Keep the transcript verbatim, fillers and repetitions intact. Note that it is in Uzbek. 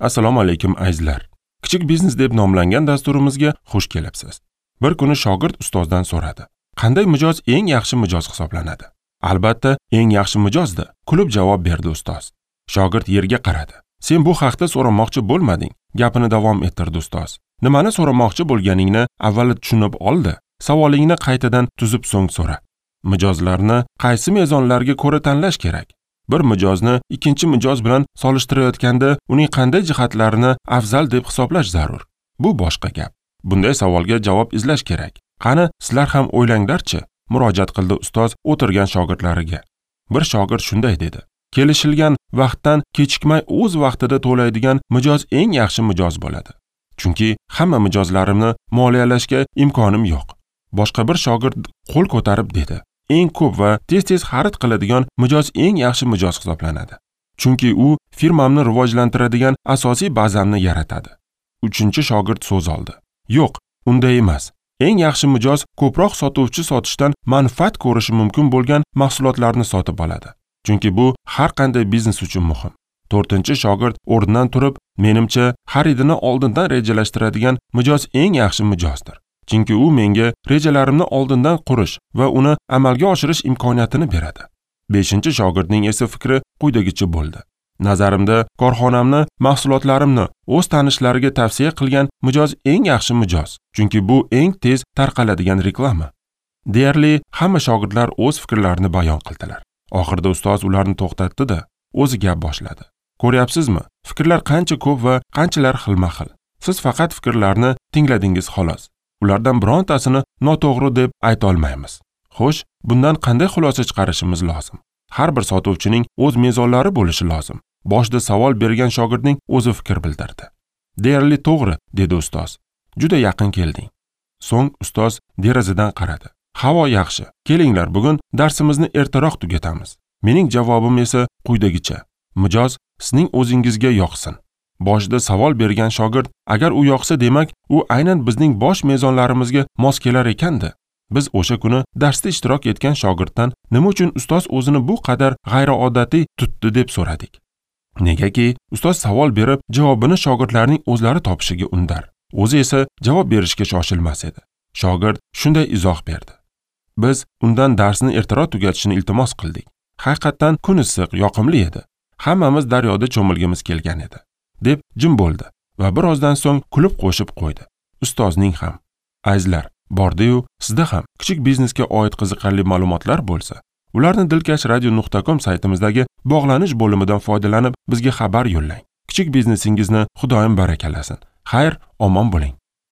Assalomu alaykum azizlar. Kichik biznes deb nomlangan dasturimizga xush kelibsiz. Bir kuni shogird ustozdan so'radi: "Qanday mijoz eng yaxshi mijoz hisoblanadi?" "Albatta, eng yaxshi mijozdir", kulib javob berdi ustoz. Shogird yerga qaradi. "Sen bu haqda so'ramoqchi bo'lmading", gapini davom ettirdi ustoz. "Nimani so'ramoqchi bo'lganingni avval tushunib oldi. Savolingni qaytadan tuzib so'ng so'ra. Mijozlarni qaysi mezonlarga ko'ra tanlash kerak? Bir mijozni ikkinchi mijoz bilan solishtirayotganda uning qanday jihatlarini afzal deb hisoblash zarur? Bu boshqa gap. Bunday savolga javob izlash kerak. Qani, sizlar ham o'ylanglarchi", murojaat qildi ustoz o'tirgan shogirdlariga. Bir shogird shunday dedi: "Kelishilgan vaqtdan kechikmay o'z vaqtida to'laydigan mijoz eng yaxshi mijoz bo'ladi. Chunki hamma mijozlarimni moliyalashga imkonim yo'q." Boshqa bir shogird qo'l ko'tarib dedi: "Eng ko'p va tez-tez xarid qiladigan mijoz eng yaxshi mijoz hisoblanadi. Chunki u firmamni rivojlantiradigan asosiy bazamni yaratadi." Uchinchi shogird so'z oldi: "Yo'q, unday emas. Eng yaxshi mijoz ko'proq sotuvchi sotishdan manfaat ko'rishi mumkin bo'lgan mahsulotlarni sotib oladi. Chunki bu har qanday biznes uchun muhim." To'rtinchi shogird o'rnidan turib, "Menimcha, xaridini oldindan rejalashtiradigan mijoz eng yaxshi mijozdir. Chunki u menga rejalarimni oldindan qurish va uni amalga oshirish imkoniyatini beradi." Beshinchi shogirdning esa fikri quyidagicha bo'ldi: "Nazarimda, korxonamni, mahsulotlarimni o'z tanishlariga tavsiya qilgan mijoz eng yaxshi mijoz, chunki bu eng tez tarqaladigan reklama." Deyarli hamma shogirdlar o'z fikrlarini bayon qildilar. Oxirida ustoz ularni to'xtatdi-da, o'zi gap boshladi. "Ko'ryapsizmi? Fikrlar qancha ko'p va qanchalar xilma-xil. Siz faqat fikrlarni tingladingiz xolos. Ulardan birontasini noto'g'ri deb ayta olmaymiz. Xo'sh, bundan qanday xulosa chiqarishimiz lozim? Har bir sotuvchining o'z mezonlari bo'lishi lozim." Boshida savol bergan shogirdning o'zi fikr bildirdi. "Deyarli to'g'ri", dedi ustoz. "Juda yaqin kelding." So'ng ustoz derazadan qaradi. "Havo yaxshi. Kelinglar, bugun darsimizni ertaroq tugatamiz. Mening javobim esa quyidagicha: mijoz sizning o'zingizga yoqsin." Boshida savol bergan shogird, agar u yoqsa, demak, u aynan bizning bosh mezonlarimizga mos kelar ekanda. Biz o'sha kuni darsda ishtirok etgan shogirddan nima uchun ustoz o'zini bu qadar g'ayriodatiy tutdi deb so'radik. Negaki ustoz savol berib, javobini shogirdlarning o'zlari topishiga undar. O'zi esa javob berishga shoshilmas edi. Shogird shunday izoh berdi: "Biz undan darsni ertaroq tugatishini iltimos qildik. Haqiqatan kun issiq, yoqimli edi. Hammamiz daryoda cho'milgimiz kelgan edi", deb jim bo'ldi va birozdan so'ng kulib qo'shib qo'ydi: "Ustozning ham." Azizlar, bordi-yu, sizda ham kichik biznesga oid qiziqarli ma'lumotlar bo'lsa, ularni dilkash radio nuqta com saytimizdagi bog'lanish bo'limidan foydalanib bizga xabar yo'llang. Kichik biznesingizni Xudoyim barakalasin. Xayr, omon bo'ling.